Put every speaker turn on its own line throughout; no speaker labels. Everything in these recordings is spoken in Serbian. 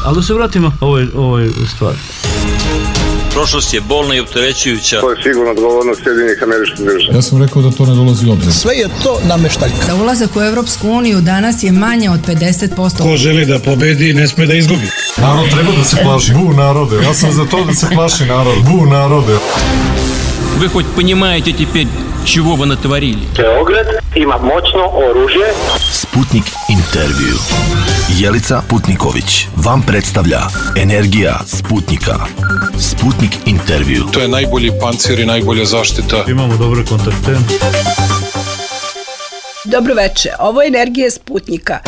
Ali da se vratimo ovoj stvari.
Prošlost je bolna i opterećujuća.
To je sigurno odgovornost Sjedinjenih Američkih Država.
Ja sam rekao da to ne dolazi u obzir.
Sve je to nameštaljka.
Za ulazak u Evropsku uniju danas je manje od 50%.
Ko želi da pobedi, ne sme da izgubi.
Narod treba da se plaši. Bu narode. Ja sam za to da se plaši narod. Bu narode.
Вы хоть понимаете теперь, чего вы натворили?
Beograd ima moćno oružje.
Sputnik intervju. Jelica Putniković vam predstavlja Energija Sputnika. Sputnik intervju.
To je najbolji pancir i najbolja zaštita.
Imamo dobre kontakte.
Dobro veče, ovo je Energija Sputnika.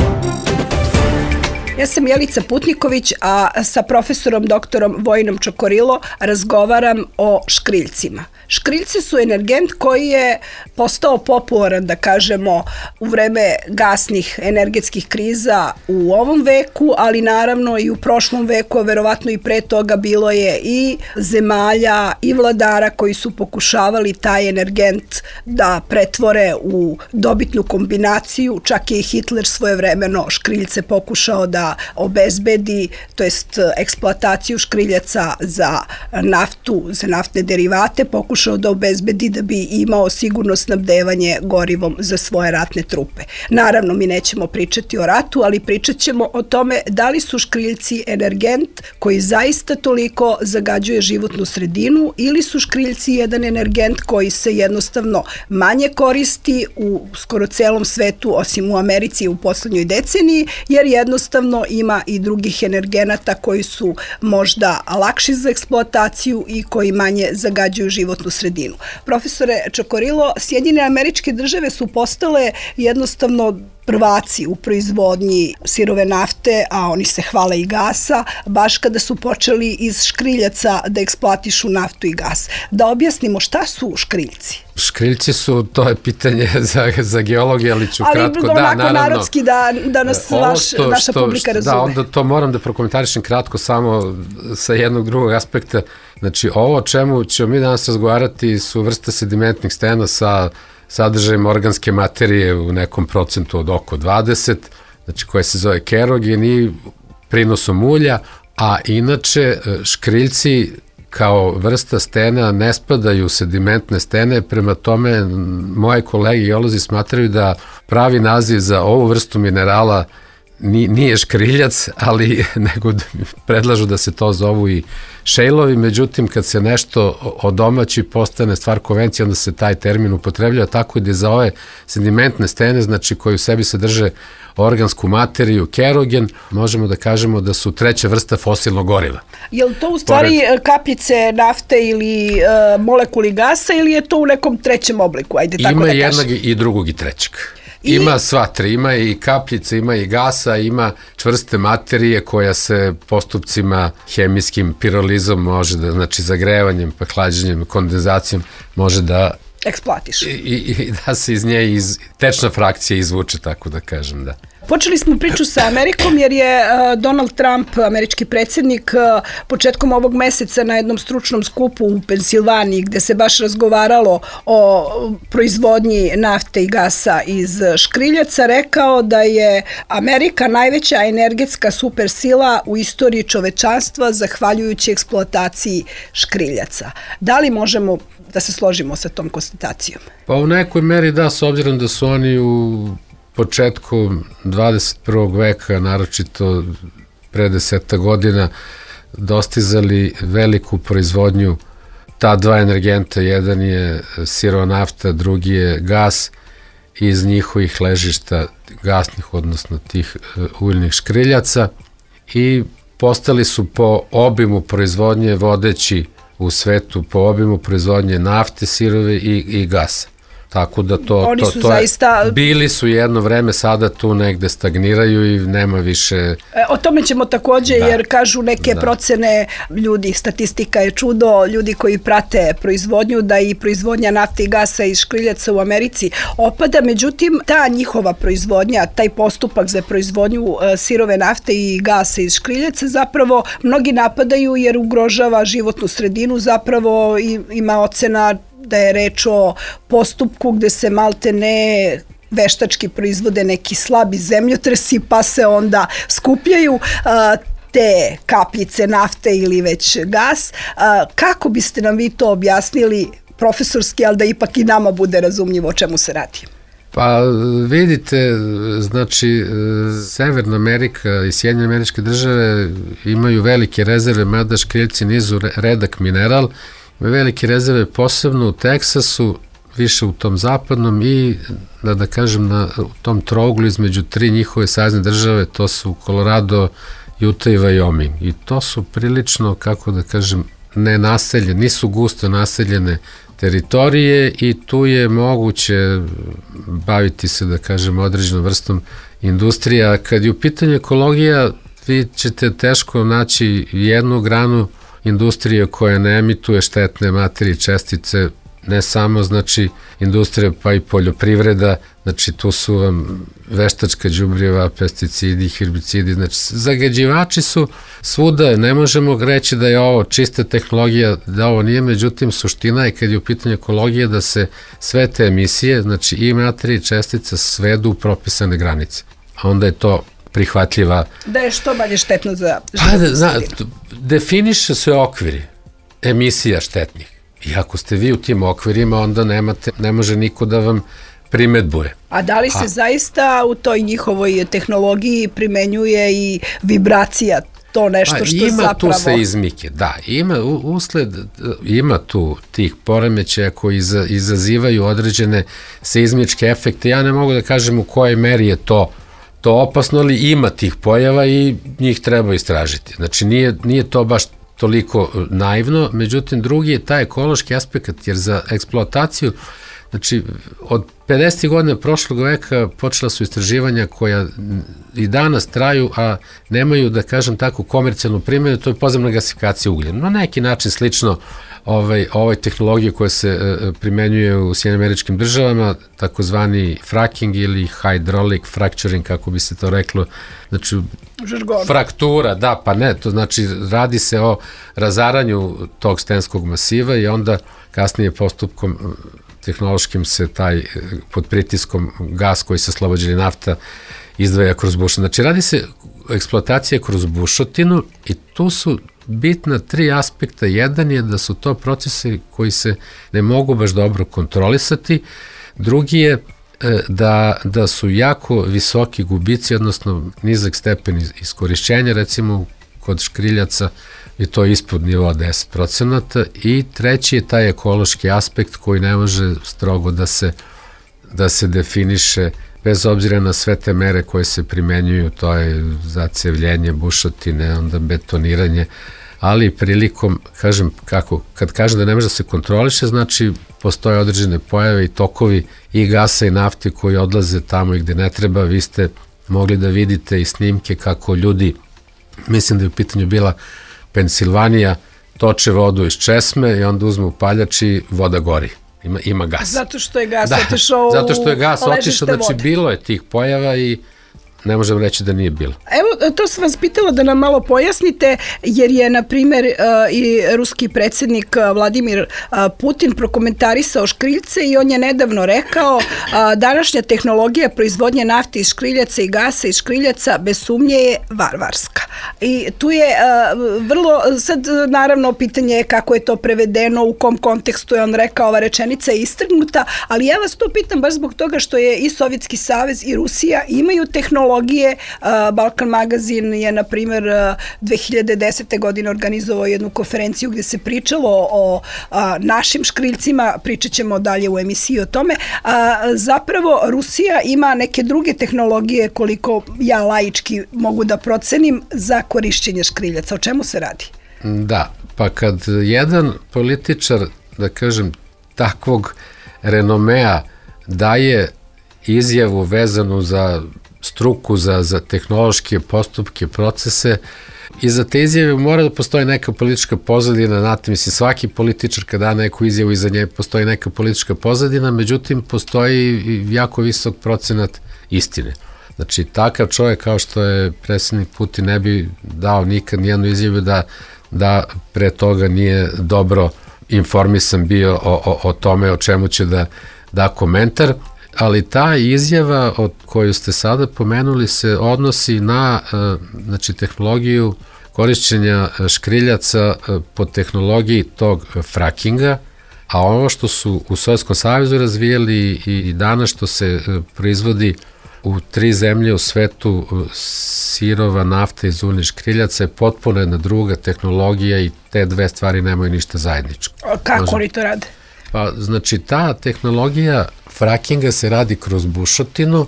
Ja sam Jelica Putniković, a sa profesorom doktorom Vojinom Čokorilo razgovaram o škriljcima. Škriljci su energent koji je postao popularan, da kažemo, u vreme gasnih energetskih kriza u ovom veku, ali naravno i u prošlom veku, a verovatno i pre toga bilo je i zemalja i vladara koji su pokušavali taj energent da pretvore u dobitnu kombinaciju. Čak je i Hitler svojevremeno škriljce pokušao da obezbedi, to jest eksploataciju škriljaca za naftu, za naftne derivate, pokušao da obezbedi da bi imao sigurno snabdevanje gorivom za svoje ratne trupe. Naravno, mi nećemo pričati o ratu, ali pričat ćemo o tome da li su škriljci energent koji zaista toliko zagađuje životnu sredinu ili su škriljci jedan energent koji se jednostavno manje koristi u skoro celom svetu, osim u Americi u poslednjoj deceniji, jer jednostavno ima i drugih energenata koji su možda lakši za eksploataciju i koji manje zagađuju životnu sredinu. Profesore Čokorilo, Sjedinjene Američke Države su postale jednostavno prvaci u proizvodnji sirove nafte, a oni se hvale i gasa, baš kada su počeli iz škriljaca da eksploatišu naftu i gas. Da objasnimo šta su škriljci?
Škriljci su, to je pitanje za geologije, ali ću kratko.
Ali onako narodski da nas naša publika razume.
Da, onda to moram da prokomentarišem kratko samo sa jednog drugog aspekta. Znači, ovo o čemu ćemo mi danas razgovarati su vrste sedimentnih stena sa sadržajem organske materije u nekom procentu od oko 20, znači koje se zove kerogen i prinosom ulja, a inače škriljci kao vrsta stena ne spadaju u sedimentne stene, prema tome moje kolege geolozi smatraju da pravi naziv za ovu vrstu minerala nije škriljac, ali nego predlažu da se to zovu i šejlovi, međutim kad se nešto odomaći postane stvar konvencije, onda se taj termin upotrebljava, tako da za ove sedimentne stene, znači koji u sebi sadrže organsku materiju, kerogen, možemo da kažemo da su treća vrsta fosilnog goriva.
Je li to u stvari kapljice nafte ili molekuli gasa ili je to u nekom trećem obliku? Ajde, tako
ima
da
jednog i drugog i trećeg. Ima sva tri, ima i kapljice, ima i gasa, ima čvrste materije koja se postupcima hemijskim pirolizom može da, znači zagrevanjem, pa hlađenjem, kondenzacijom može da
eksploatiš.
I da se iz nje tečna frakcija izvuče, tako da kažem, da.
Počeli smo priču sa Amerikom jer je Donald Trump, američki predsjednik, početkom ovog meseca na jednom stručnom skupu u Pensilvaniji gde se baš razgovaralo o proizvodnji nafte i gasa iz škriljaca rekao da je Amerika najveća energetska supersila u istoriji čovečanstva zahvaljujući eksploataciji škriljaca. Da li možemo da se složimo sa tom konstatacijom?
Pa u nekoj meri da, s obzirom da su oni u početku 21. veka, naročito pre 10 godina, dostizali veliku proizvodnju ta dva energenta, jedan je sirova nafta, drugi je gas, iz njihovih ležišta gasnih, odnosno tih uljnih škriljaca, i postali su po obimu proizvodnje vodeći u svetu, po obimu proizvodnje nafte, sirove i gasa. Tako da to zaista bili su jedno vreme, sada tu negde stagniraju i nema više.
O tome ćemo takođe, jer kažu neke procene ljudi, statistika je čudo, ljudi koji prate proizvodnju, da i proizvodnja nafte i gasa iz škriljaca u Americi opada, međutim ta njihova proizvodnja, taj postupak za proizvodnju sirove nafte i gasa iz škriljaca zapravo mnogi napadaju jer ugrožava životnu sredinu, zapravo ima ocena da je reč o postupku gde se malte ne veštački proizvode neki slabi zemljotresi pa se onda skupljaju te kapljice nafte ili već gas. Kako biste nam vi to objasnili profesorski, ali da ipak i nama bude razumljivo o čemu se radi?
Pa vidite, znači Severna Amerika i Sjedinjene Američke Države imaju velike rezerve, mada škriljci nisu redak mineral, imaju velike rezerve posebno u Teksasu, više u tom zapadnom i da kažem u tom trouglu između 3 njihove savezne države, to su Colorado, Utah i Wyoming. I to su prilično, kako da kažem, nenaseljene, nisu gusto naseljene teritorije i tu je moguće baviti se, da kažem, određenom vrstom industrija. Kad je u pitanju ekologija, vi ćete teško naći jednu granu industrije koja ne emituje štetne materije i čestice, ne samo, znači, industrija, pa i poljoprivreda, znači, tu su vam veštačka đubriva, pesticidi, herbicidi, znači, zagađivači su svuda, ne možemo reći da je ovo čista tehnologija, da ovo nije, međutim, suština je kad je u pitanju ekologije da se sve te emisije, znači, i materije i čestice svedu u propisane granice, a onda je to prihvatljiva.
Da je što manje štetno za životnu sredinu.
Definiše se okviri emisija štetnih. I ako ste vi u tim okvirima, onda ne može niko da vam primedbuje.
A da li se zaista u toj njihovoj tehnologiji primenjuje i vibracija, to nešto što zapravo...
Ima tu se izmike, da. Ima tu tih poremećaja koji izazivaju određene seizmičke efekte. Ja ne mogu da kažem u kojoj meri je to opasno, ali ima tih pojava i njih treba istražiti. Znači, nije to baš toliko naivno, međutim, drugi je taj ekološki aspekt, jer za eksploataciju, znači, od 50. godina prošlog veka počela su istraživanja koja i danas traju, a nemaju, da kažem tako, komercijalnu primjenu, to je podzemna gasifikacija ugljena. Na neki način slično ovoj tehnologiji koja se primenjuje u Sjedinjenim Američkim Državama, takozvani fracking ili hydraulic fracturing, kako bi se to reklo, znači fraktura, da, pa ne, to znači radi se o razaranju tog stenskog masiva i onda kasnije postupkom tehnološkim se taj pod pritiskom gas koji se oslobađa nafta izdvaja kroz bušotinu. Znači radi se eksploatacija kroz bušotinu i tu su bitna 3 aspekta. Jedan je da su to procesi koji se ne mogu baš dobro kontrolisati. Drugi je da su jako visoki gubici, odnosno nizak stepen iskorišćenja, recimo kod škriljaca je to ispod nivoa 10%. I treći je taj ekološki aspekt koji ne može strogo da se definiše bez obzira na sve te mere koje se primenjuju, to je zacevljenje bušotine, onda betoniranje, ali prilikom, kad kažem da ne može da se kontroliše, znači postoje određene pojave i tokovi i gasa i nafte koji odlaze tamo i gde ne treba. Vi ste mogli da vidite i snimke kako ljudi, mislim da je u pitanju bila Pensilvanija, toče vodu iz česme i onda uzmu upaljač i voda gori. Ima gas.
Zato što je gas otišao u
Zato što je gas otišao, znači bilo je tih pojava i ne možemo reći da nije bilo.
Evo, to sam vas pitala da nam malo pojasnite, jer je, na primjer, i ruski predsjednik Vladimir Putin prokomentarisao škriljce i on je nedavno rekao današnja tehnologija proizvodnje nafte iz škriljaca i gasa iz škriljaca bez sumnje je varvarska. I tu je vrlo, sad naravno pitanje je kako je to prevedeno, u kom kontekstu je on rekao, ova rečenica je istrgnuta, ali ja vas to pitam baš zbog toga što je i Sovjetski savez i Rusija imaju tehnologije. Balkan magazin je, na primjer, 2010. godine organizovao jednu konferenciju gdje se pričalo o našim škriljcima, pričat ćemo dalje u emisiji o tome. Zapravo, Rusija ima neke druge tehnologije, koliko ja laički mogu da procenim, za korišćenje škriljaca. O čemu se radi?
Da, pa kad jedan političar, da kažem, takvog renomea daje izjavu vezanu za struku, za tehnološke postupke, procese, i za te izjave mora da postoji neka politička pozadina, znate, mislim, svaki političar kada da neku izjavu, iza nje postoji neka politička pozadina, međutim, postoji jako visok procenat istine. Znači, takav čovjek kao što je predsjednik Putin ne bi dao nikad nijednu izjavu da pre toga nije dobro informisan bio o tome o čemu će da komentar. ali ta izjava od koju ste sada pomenuli se odnosi na znači, tehnologiju korišćenja škriljaca po tehnologiji tog frakinga, a ovo što su u Sovjetskom savezu razvijeli i danas što se proizvodi u 3 zemlje u svetu, sirova nafta iz uljnih škriljaca je potpuno jedna druga tehnologija i te dve stvari nemaju ništa zajedničko.
Kako oni to rade?
Pa, znači, ta tehnologija frakinga se radi kroz bušotinu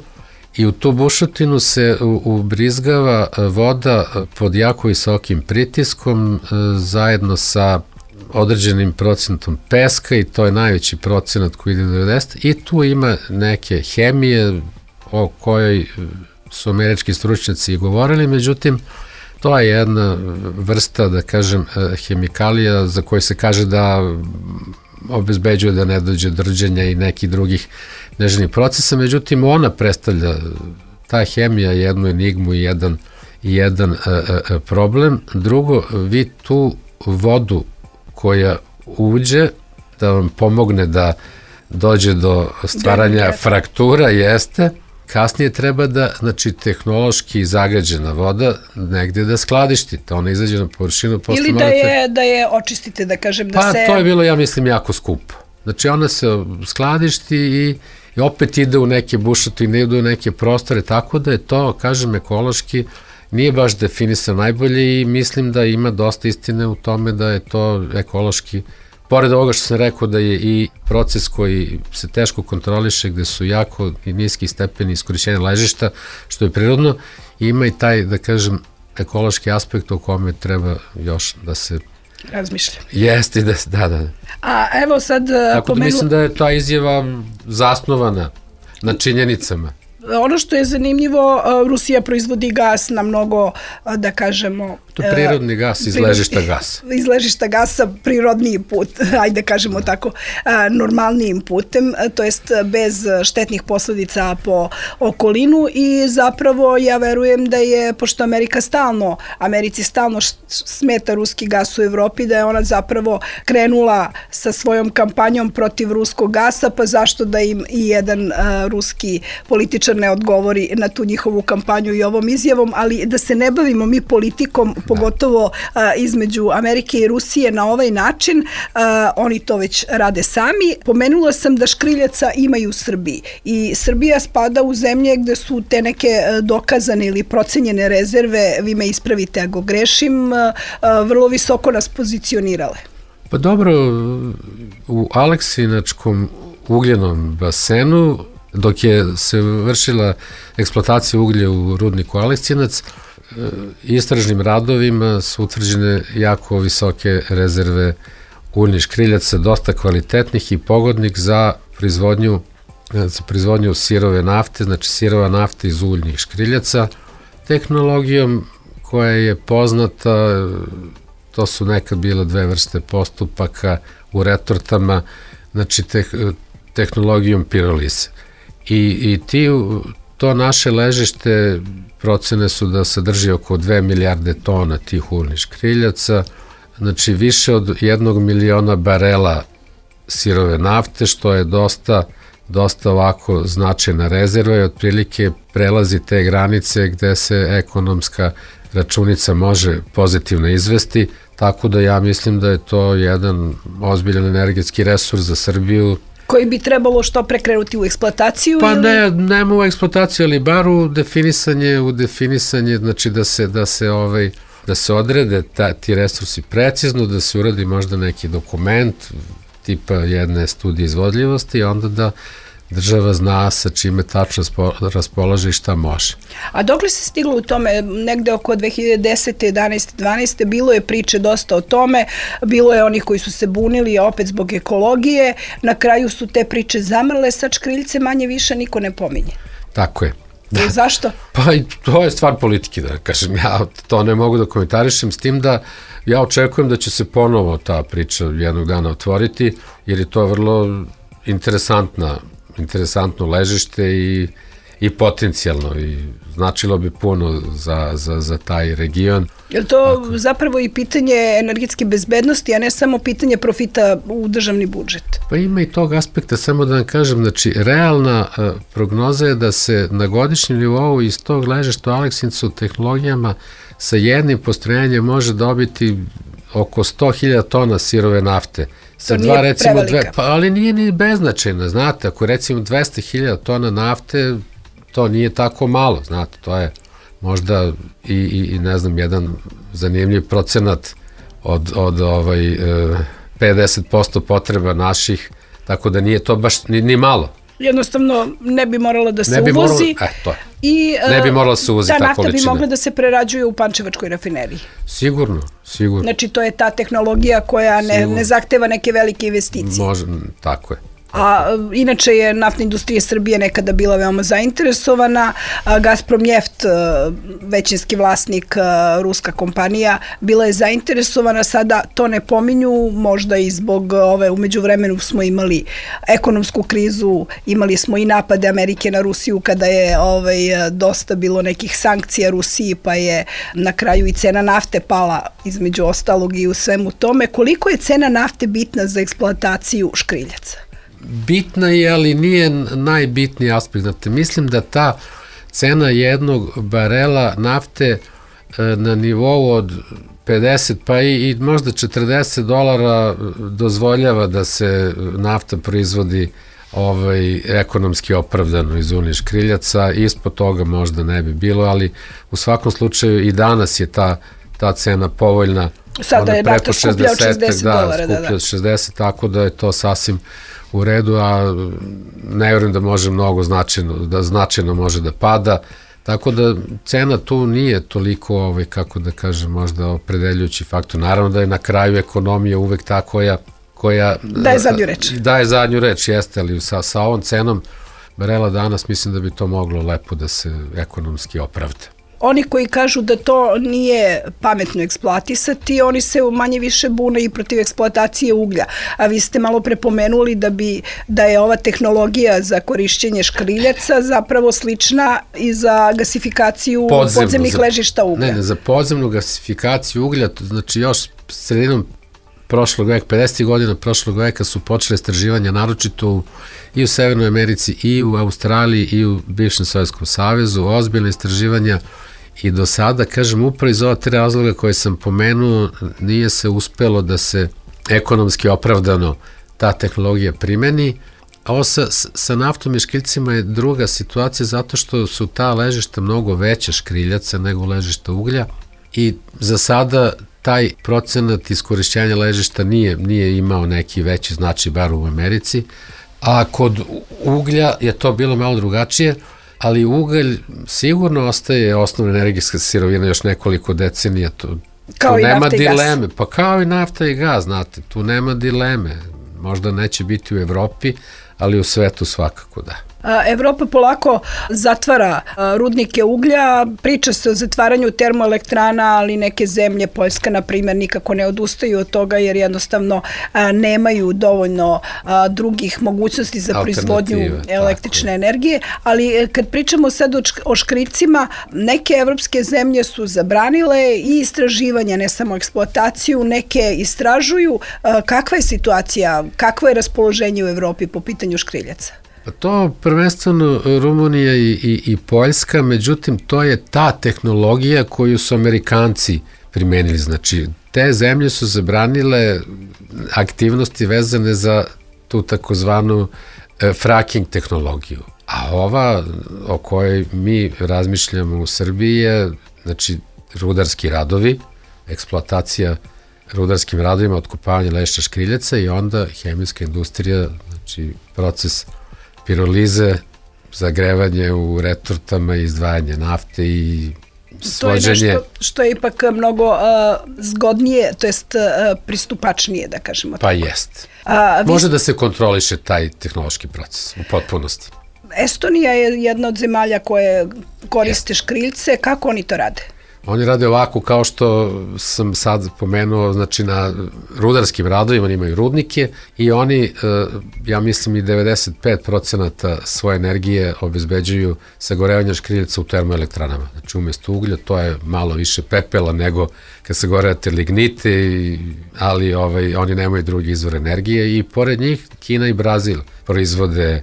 i u tu bušotinu se ubrizgava voda pod jako visokim pritiskom zajedno sa određenim procentom peska i to je najveći procenat koji ide do 90 i tu ima neke hemije o kojoj su američki stručnjaci govorili, međutim, to je jedna vrsta, da kažem, hemikalija za koju se kaže da obezbeđuje da ne dođe do rđenja i nekih drugih neželjenih procesa, međutim, ona predstavlja, ta hemija, jednu enigmu i jedan problem. Drugo, vi tu vodu koja uđe da vam pomogne da dođe do stvaranja fraktura, jeste, kasnije treba da, znači, tehnološki zagađena voda negde da skladištite, ona izađe na površinu.
Ili da je očistite, da kažem, da se...
Pa to je bilo, ja mislim, jako skupo. Znači, ona se skladišti i opet ide u neke bušotine, ide u neke prostore, tako da je to, kažem, ekološki nije baš definisano najbolje i mislim da ima dosta istine u tome da je to ekološki, pored ovoga što sam rekao da je i proces koji se teško kontroliše, gde su jako i niski stepeni iskorišćenja ležišta, što je prirodno, ima i taj, da kažem, ekološki aspekt o kome treba još da se
razmišlja.
Jeste, da.
A evo sad...
Tako da mislim da je ta izjava zasnovana na činjenicama.
Ono što je zanimljivo, Rusija proizvodi gas na mnogo, da kažemo...
To je prirodni gas iz ležišta gasa.
Iz ležišta gasa, prirodniji put, ajde kažemo tako, normalnijim putem, to jest bez štetnih posledica po okolinu i zapravo ja verujem da je, pošto Americi stalno smeta ruski gas u Evropi, da je ona zapravo krenula sa svojom kampanjom protiv ruskog gasa, pa zašto da im i jedan ruski političar ne odgovori na tu njihovu kampanju i ovom izjavom, ali da se ne bavimo mi politikom, pogotovo između Amerike i Rusije na ovaj način, oni to već rade sami. Pomenula sam da škriljaca imaju u Srbiji i Srbija spada u zemlje gde su te neke dokazane ili procenjene rezerve, vi me ispravite ako grešim, vrlo visoko nas pozicionirale.
Pa dobro, u Aleksinačkom ugljenom basenu, dok je se vršila eksploatacija uglja u rudniku Aleksinac, istražnim radovima su utvrđene jako visoke rezerve uljnih škriljaca, dosta kvalitetnih i pogodnih za proizvodnju sirove nafte, znači sirova nafta iz uljnih škriljaca. Tehnologijom koja je poznata, to su nekad bile 2 vrste postupaka u retortama, znači tehnologijom pirolise. I to naše ležište procene su da sadrži oko 2 milijarde tona tih uljnih škriljaca, znači više od 1 miliona barela sirove nafte, što je dosta ovako značajna rezerva i otprilike prelazi te granice gde se ekonomska računica može pozitivno izvesti, tako da ja mislim da je to jedan ozbiljan energetski resurs za Srbiju.
Koji bi trebalo što prekrenuti u eksploataciju?
Pa nema u eksploataciju, ali bar u definisanje, znači da se odrede ti resursi precizno, da se uradi možda neki dokument tipa jedne studije izvodljivosti i onda da država zna sa čime tačno raspolaže i šta može.
A dokle se stiglo u tome, negde oko 2010. 11. 12. bilo je priče dosta o tome, bilo je onih koji su se bunili opet zbog ekologije, na kraju su te priče zamrle, sad škriljce manje više niko ne pominje.
Tako je.
I zašto?
Pa i to je stvar politike, da kažem, ja to ne mogu da komentarišem, s tim da ja očekujem da će se ponovo ta priča jednog dana otvoriti, jer je to vrlo interesantno ležište i potencijalno i značilo bi puno za taj region.
Je li to zapravo i pitanje energetske bezbednosti, a ne samo pitanje profita u državni budžet?
Pa ima i tog aspekta, samo da vam kažem, znači realna prognoza je da se na godišnjem nivou iz tog ležišta u Aleksincu tehnologijama sa jednim postrojenjem može dobiti oko 100.000 tona sirove nafte.
To nije prevelika.
Ali nije ni beznačajno, znate, ako recimo 200.000 tona nafte, to nije tako malo, znate, to je možda i ne znam, jedan zanimljiv procenat od 50% potreba naših, tako da nije to baš ni malo.
Jednostavno ne bi moralo da se uvozi i
ne bi moralo da se uvozi ta količina.
Ta nafta bi mogla da se prerađuje u Pančevačkoj rafineriji.
Sigurno.
Znači to je ta tehnologija koja ne zahteva neke velike investicije.
Može, tako je.
A inače je naftna industrija Srbije nekada bila veoma zainteresovana. Gazprom Neft, većinski vlasnik, ruska kompanija, bila je zainteresovana, sada to ne pominju, možda i zbog umeđu vremenu smo imali ekonomsku krizu, imali smo i napade Amerike na Rusiju kada je dosta bilo nekih sankcija Rusiji, pa je na kraju i cena nafte pala između ostalog i u svemu tome. Koliko je cena nafte bitna za eksploataciju škriljaca?
Bitna je, ali nije najbitniji aspekt. Znate, mislim da ta cena jednog barela nafte na nivou od 50 pa i možda $40 dozvoljava da se nafta proizvodi ekonomski opravdano iz unije škriljaca. Ispod toga možda ne bi bilo, ali u svakom slučaju i danas je ta cena povoljna.
Sada je nafta skuplja od $60.
Skuplja od 60, tako da je to sasvim u redu, a ne vjerujem da može mnogo značajno može da pada, tako da cena tu nije toliko, kako da kažem, možda opredeljujući faktor. Naravno da je na kraju ekonomija uvek ta koja
daje zadnju reč.
Daje zadnju reč, jeste, ali sa ovom cenom barela danas mislim da bi to moglo lepo da se ekonomski opravda.
Oni koji kažu da to nije pametno eksploatisati, oni se manje više bune i protiv eksploatacije uglja. A vi ste malo prepomenuli da je ova tehnologija za korišćenje škriljaca zapravo slična i za gasifikaciju podzemnih ležišta uglja.
Ne, za podzemnu gasifikaciju uglja, znači još sredinom prošlog veka, 50. godina prošlog veka su počele istraživanja, naročito i u Severnoj Americi, i u Australiji, i u bivšem Sovjetskom savezu, ozbiljne istraživanja. I do sada, kažem, upravo iz ova 3 razloga koje sam pomenuo, nije se uspelo da se ekonomski opravdano ta tehnologija primeni. A ovo sa naftom i škriljcima je druga situacija zato što su ta ležišta mnogo veća škriljaca nego ležišta uglja i za sada taj procenat iskorišćenja ležišta nije imao neki veći značaj, bar u Americi, a kod uglja je to bilo malo drugačije, ali ugalj sigurno ostaje osnovna energijska sirovina još nekoliko decenija.
Kao i nafta i gas.
Pa kao i nafta i gas, znate, tu nema dileme. Možda neće biti u Evropi, ali u svetu svakako da.
Evropa polako zatvara rudnike uglja, priča se o zatvaranju termoelektrana, ali neke zemlje, Poljska na primjer, nikako ne odustaju od toga jer jednostavno nemaju dovoljno drugih mogućnosti za proizvodnju električne energije, ali kad pričamo sad o škriljcima, neke evropske zemlje su zabranile i istraživanja, ne samo eksploataciju, neke istražuju. Kakva je situacija, kakvo je raspoloženje u Evropi po pitanju škriljaca?
To prvenstveno Rumunija i Poljska, međutim to je ta tehnologija koju su Amerikanci primenili. Znači, te zemlje su zabranile aktivnosti vezane za tu takozvanu fracking tehnologiju. A ova o kojoj mi razmišljamo u Srbiji je, znači, rudarski radovi, eksploatacija rudarskim radovima, otkopavanje ležišta škriljaca i onda hemijska industrija, znači proces pirolize, zagrevanje u retortama, izdvajanje nafte i svođenje.
To je nešto što je ipak mnogo zgodnije, to jest pristupačnije, da kažemo.
Pa jest. Može da se kontroliše taj tehnološki proces u potpunosti.
Estonija je jedna od zemalja koje koriste škriljce. Kako oni to rade?
Oni rade ovako kao što sam sad pomenuo, znači na rudarskim radovima, oni imaju rudnike i oni, ja mislim i 95% svoje energije obezbeđuju sagorevanje škriljaca u termoelektranama. Znači umjesto uglja to je malo više pepela nego kad se gorevate lignite, ali oni nemaju drugi izvor energije i pored njih Kina i Brazil proizvode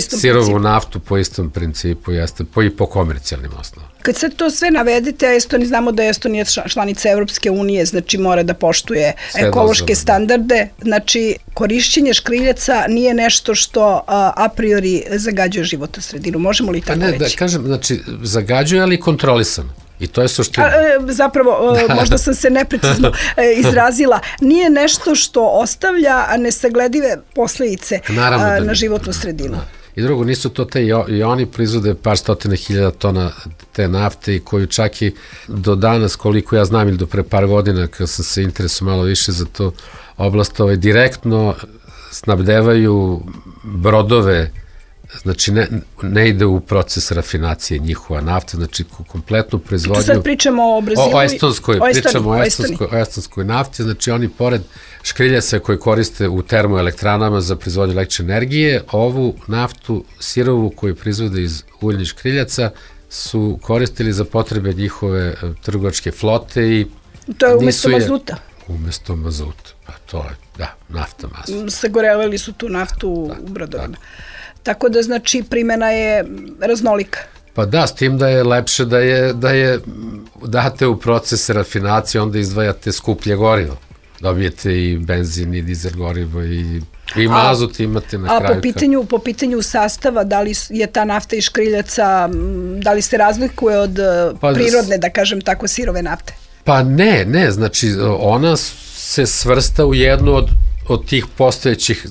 sirovu naftu po istom principu, jeste, po komercijalnim osnovama.
Kad sad to sve navedete, Estonija, znamo da je Estonija članica Evropske unije, znači mora da poštuje ekološke standarde, znači korišćenje škriljaca nije nešto što a priori zagađuje životnu sredinu, možemo li tako reći?
Da kažem, znači zagađuje, ali kontrolisano. I to je suština.
Zapravo, možda sam se neprecizno izrazila, nije nešto što ostavlja nesagledive posledice na životnu sredinu.
I drugo, nisu to te, i oni proizvode par stotine hiljada tona te nafte i koju čak i do danas, koliko ja znam, ili do pre par godina, kad sam se interesuo malo više za to oblast, direktno snabdevaju brodove, znači ne ide u proces rafinacije njihova nafta, znači kompletnu proizvodnju.
Tu sad pričamo o Brazilu.
O estonskoj nafti, znači oni pored škriljaca koje koriste u termoelektranama za proizvodnju električne energije, ovu naftu sirovu koju proizvode iz uljnih škriljaca su koristili za potrebe njihove trgovačke flote i
to je umjesto mazuta.
Umjesto mazuta, pa to je, da, nafta mazut.
Sagorevali su tu naftu u brodovima. Tako da, znači, primjena je raznolika.
Pa da, s tim da je lepše da je date u proces rafinacije, onda izdvajate skuplje gorivo. Dobijete i benzin, i dizel gorivo, i mazut imate na kraju.
A po pitanju sastava, da li je ta nafta iz škriljaca, da li se razlikuje od prirodne, da kažem tako, sirove nafte?
Pa ne, znači ona se svrsta u jednu od tih postojećih,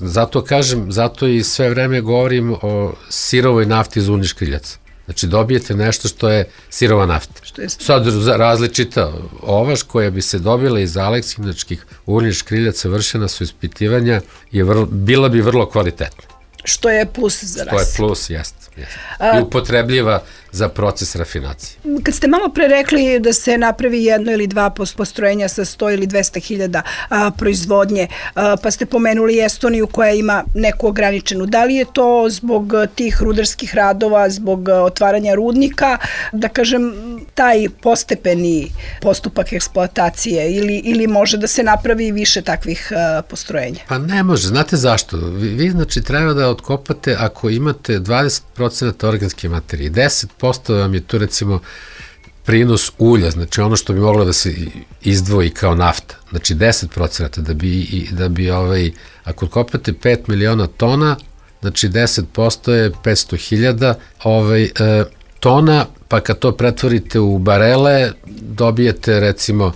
zato i sve vreme govorim o sirovoj nafti iz uljnih škriljaca. Znači dobijete nešto što je sirova nafta. Sad različita ovaš koja bi se dobila iz aleksinačkih uljnih škriljaca, vršena su ispitivanja, bila bi vrlo kvalitetna.
Što je plus za nas.
Što je plus, jeste. I upotrebljiva za proces rafinacije.
Kad ste malo pre rekli da se napravi jedno ili dva postrojenja sa 100 ili 200 hiljada proizvodnje, pa ste pomenuli Estoniju koja ima neku ograničenu. Da li je to zbog tih rudarskih radova, zbog otvaranja rudnika, da kažem, taj postepeni postupak eksploatacije ili može da se napravi više takvih postrojenja?
Pa ne može. Znate zašto? Vi znači treba da otkopate ako imate 20% organske materije, 10% vam je tu recimo prinos ulja, znači ono što bi moglo da se izdvoji kao nafta, znači 10% da bi ako otkopate 5 miliona tona, znači 10% je 500.000 tona, pa kad to pretvorite u barele, dobijete recimo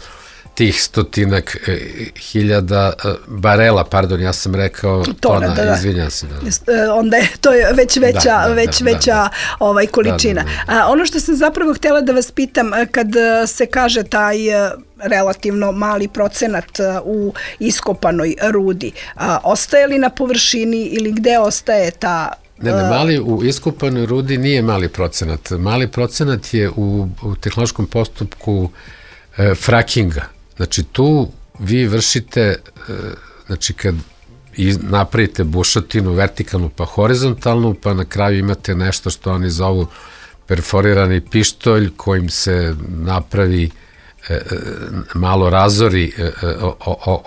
tih 100.000 barela, pardon, ja sam rekao tona, izvinjam se.
Onda je to veća količina. Ono što sam zapravo htjela da vas pitam, kad se kaže taj relativno mali procenat u iskopanoj rudi, ostaje li na površini ili gde ostaje ta...
Ne, mali u iskopanoj rudi nije mali procenat. Mali procenat je u tehnološkom postupku frakinga. Znači tu vi vršite, znači kad napravite bušotinu vertikalnu pa horizontalnu, pa na kraju imate nešto što oni zovu perforirani pištolj kojim se napravi, malo razori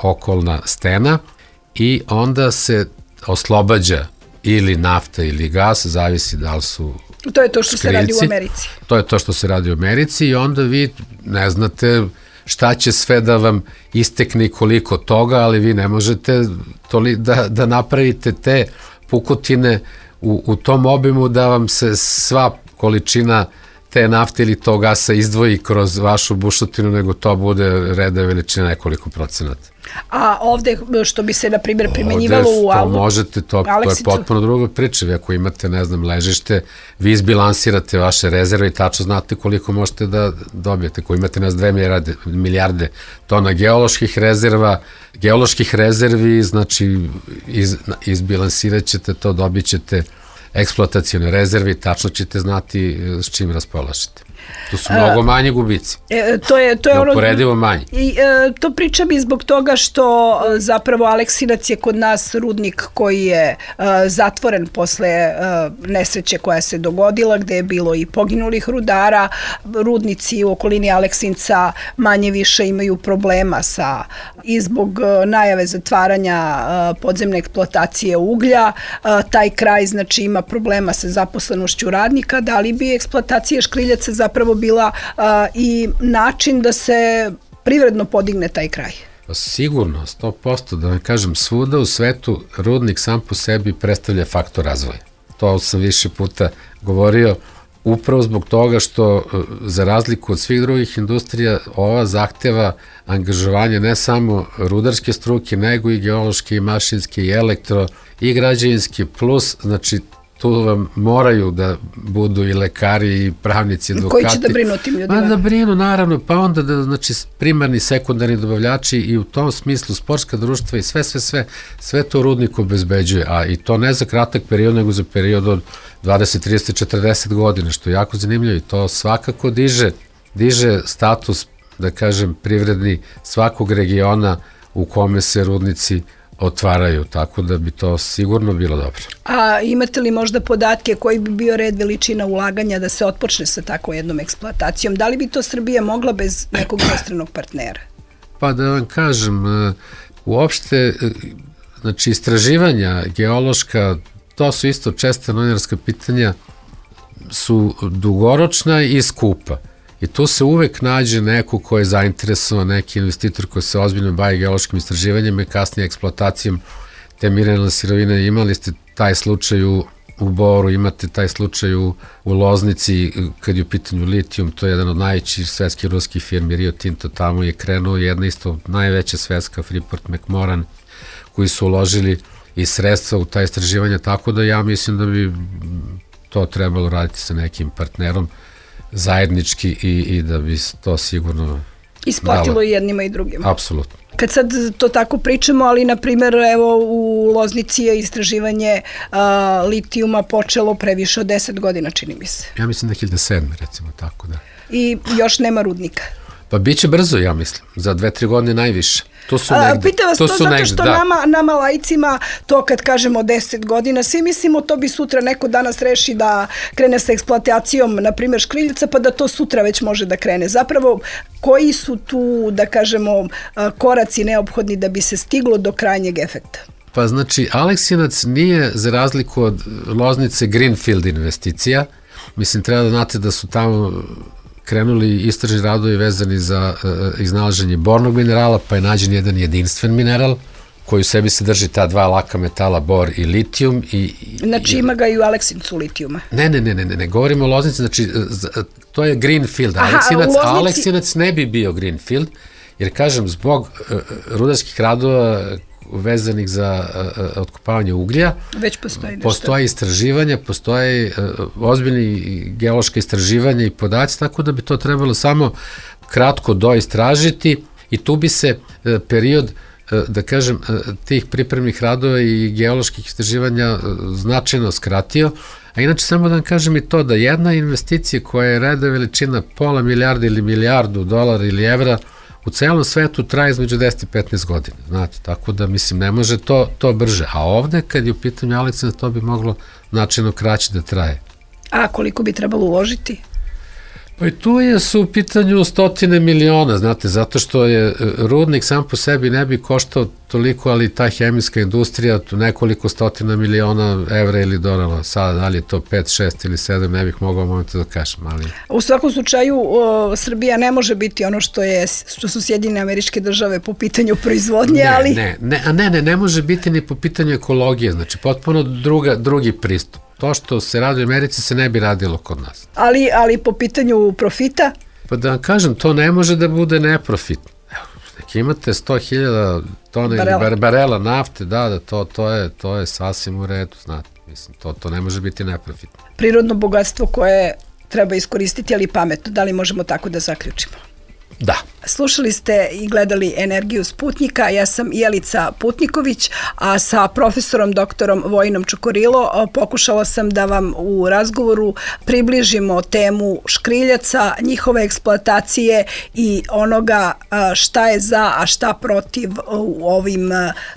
okolna stena i onda se oslobađa ili nafta ili gas, zavisi da li su
to je to što se radi u Americi.
To je to što se radi u Americi i onda vi ne znate šta će sve da vam istekne i koliko toga, ali vi ne možete da napravite te pukotine u tom obimu da vam se sva količina te nafte ili tog gasa izdvoji kroz vašu bušotinu, nego to bude reda veličina nekoliko procenata.
A ovde što bi se, na primjer, primenjivalo u
Aleksicu? Možete, to je potpuno druga priča. Vi ako imate, ne znam, ležište, vi izbilansirate vaše rezerve i tačno znate koliko možete da dobijete. Ako imate, ne znam, 2 milijarde tona geoloških rezervi, znači izbilansirat ćete to, dobit ćete eksploatacijone rezerve i tačno ćete znati s čim raspolažete. To su mnogo manji gubici.
To je
neuporedivo manji.
I to pričam i zbog toga što zapravo Aleksinac je kod nas rudnik koji je zatvoren posle nesreće koja se dogodila, gde je bilo i poginulih rudara. Rudnici u okolini Aleksinca manje više imaju problema i zbog najave zatvaranja podzemne eksploatacije uglja. Taj kraj znači ima problema sa zaposlenošću radnika. Da li bi eksploatacija škriljaca zapravo bila i način da se privredno podigne taj kraj?
Sigurno, 100%, da vam kažem, svuda u svetu rudnik sam po sebi predstavlja faktor razvoja. To sam više puta govorio, upravo zbog toga što za razliku od svih drugih industrija ova zahteva angažovanje ne samo rudarske struke, nego i geološke, i mašinske, i elektro, i građevinske, plus, znači, tu vam moraju da budu i lekari, i pravnici, advokati.
Koji će da brinu o tim ljudima?
Da brinu, naravno, pa onda da, znači, primarni, sekundarni dobavljači i u tom smislu sportska društva i sve to rudnik obezbeđuje, a i to ne za kratak period, nego za period od 20, 30, 40 godina, što je jako zanimljivo i to svakako diže status, da kažem, privredni svakog regiona u kome se rudnici otvaraju, tako da bi to sigurno bilo dobro.
A imate li možda podatke koji bi bio red veličina ulaganja da se otpočne sa tako jednom eksploatacijom? Da li bi to Srbija mogla bez nekog inostranog partnera?
Pa da vam kažem, uopšte, znači istraživanja geološka, to su isto česta novinarska pitanja, su dugoročna i skupa. I tu se uvek nađe neko ko je zainteresovan, neki investitor koji se ozbiljno bavi geološkim istraživanjem i kasnije eksploatacijom te mineralne sirovine. Imali ste taj slučaj u Boru, imate taj slučaj u Loznici, kad je u pitanju litijum, to je jedan od najvećih svetskih ruskih firmi, Rio Tinto, tamo je krenuo jedna isto najveća svetska, Freeport McMoran, koji su uložili i sredstva u ta istraživanja, tako da ja mislim da bi to trebalo raditi sa nekim partnerom zajednički i da bi to sigurno
isplatilo i jednima i drugima.
Apsolutno.
Kad sad to tako pričamo, ali na primjer evo u Loznici je istraživanje litijuma počelo previše od 10 godina, čini mi se.
Ja mislim 2007. recimo tako da.
I još nema rudnika.
Pa bit će brzo, ja mislim, za 2-3 godine najviše. To su negde.
Pitam vas to zato što nama laicima, to kad kažemo 10 godina, svi mislimo to bi sutra neko danas reši da krene sa eksploatacijom, na primjer škriljica, pa da to sutra već može da krene. Zapravo, koji su tu, da kažemo, koraci neophodni da bi se stiglo do krajnjeg efekta?
Pa znači, Aleksinac nije, za razliku od Loznice, greenfield investicija. Mislim, treba da znate da su tamo krenuli istražni radovi vezani za iznalaženje bornog minerala, pa je nađen jedan jedinstven mineral koji u sebi sadrži ta dva laka metala, bor i litijum.
Znači ima ga i u Aleksincu litijuma?
Ne govorimo o Loznici, znači to je greenfield Aleksinac, a Aleksinac ne bi bio greenfield, jer kažem, zbog rudarskih radova vezanih za otkopavanje uglja.
Već postoji nešto.
Postoje istraživanja, postoje ozbiljni geološka istraživanja i podaci, tako da bi to trebalo samo kratko doistražiti i tu bi se period, da kažem, tih pripremnih radova i geoloških istraživanja značajno skratio. A inače, samo da vam kažem i to da jedna investicija koja je reda veličina pola milijarda ili milijardu dolara ili evra u celom svetu traje između 10 i 15 godina, znate, tako da, mislim, ne može to brže. A ovde, kad je u pitanju Aleksinac, to bi moglo značajno kraće da traje.
A koliko bi trebalo uložiti?
Pa i tu su u pitanju stotine miliona, znate, zato što je rudnik sam po sebi ne bi koštao toliko, ali ta hemijska industrija, nekoliko stotina miliona evra ili dolara, sada da li je to 5, 6 ili 7, ne bih mogao momentu da kažem, ali...
U svakom slučaju, Srbija ne može biti ono što su Sjedinjene Američke Države po pitanju proizvodnje, ali...
Ne može biti ni po pitanju ekologije, znači potpuno drugi pristup. To što se radi u Americi se ne bi radilo kod nas.
Ali po pitanju profita?
Pa da vam kažem, to ne može da bude neprofitno. Neki imate 100.000 tona ili barela nafte, da, to je sasvim u redu, znate. Mislim, to ne može biti neprofitno.
Prirodno bogatstvo koje treba iskoristiti, ali pametno. Da li možemo tako da zaključimo?
Da.
Slušali ste i gledali Energiju Sputnjika, ja sam Jelica Putniković, a sa profesorom doktorom Vojinom Čokorilo pokušala sam da vam u razgovoru približimo temu škriljaca, njihove eksploatacije i onoga šta je za, a šta protiv u ovim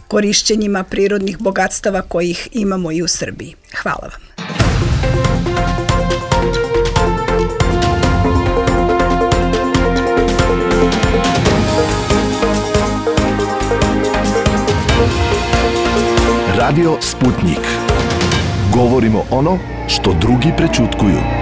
korišćenjima prirodnih bogatstava kojih imamo i u Srbiji. Hvala vam.
Radio Sputnik. Govorimo ono što drugi prećutkuju.